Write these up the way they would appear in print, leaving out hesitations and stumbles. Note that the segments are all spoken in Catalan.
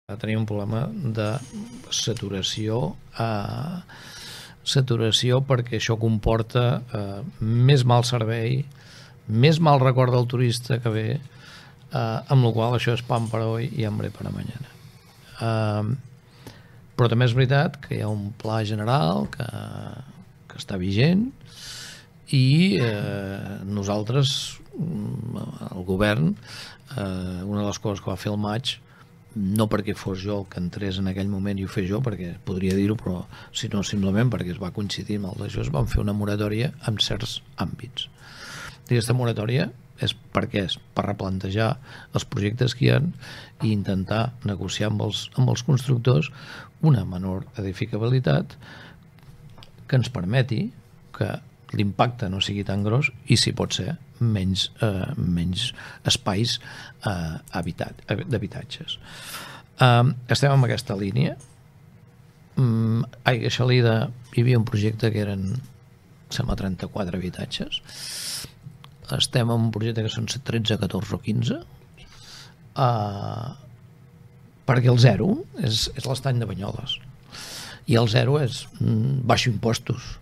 Tenim un problema de saturació perquè això comporta més mal servei, més mal record del turista que ve, amb la qual això és pan per hoy i hambre para mañana. Però també és veritat que hi ha un pla general que està vigent i nosaltres, el govern, una de les coses que va fer el maig, no perquè fos jo el que entrés en aquell moment i ho fes jo, perquè podria dir-ho, però sinó simplement perquè es va coincidir amb el d'això, es van fer una moratòria en certs àmbits. I aquesta moratòria és per què? És per replantejar els projectes que hi ha i intentar negociar amb els constructors una menor edificabilitat que ens permeti que l'impacte no sigui tan gros i, si pot ser, menys espais d'habitatges. Estem en aquesta línia. A Aigua Xalida hi havia un projecte que eren, sembla, 34 habitatges. Estem en un projecte que són 13, 14 o 15, perquè el 0 és l'estany de Banyoles i el 0 és baixo impostos.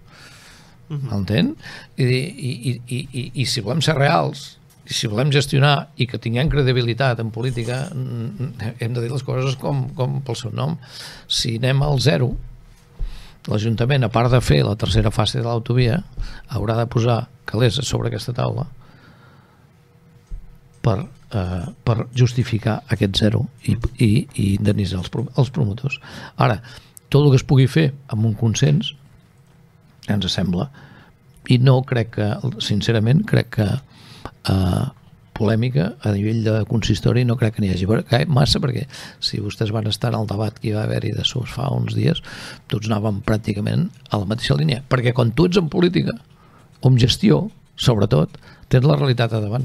M'entén? I si volem ser reals i si volem gestionar i que tinguem credibilitat en política, hem de dir les coses com pel seu nom. Si anem al 0, l'Ajuntament, a part de fer la tercera fase de l'autovia, haurà de posar calés sobre aquesta taula per justificar aquest 0 i indemnitzar els promotors. Ara, tot el que es pugui fer amb un consens ens sembla, i no crec que, sincerament, crec que polèmica a nivell de consistori no crec que n'hi hagi massa, perquè si vostès van estar en el debat que hi va haver-hi de SOS fa uns dies, tots anàvem pràcticament a la mateixa línia, perquè quan tu ets en política o en gestió, sobretot, tens la realitat a davant.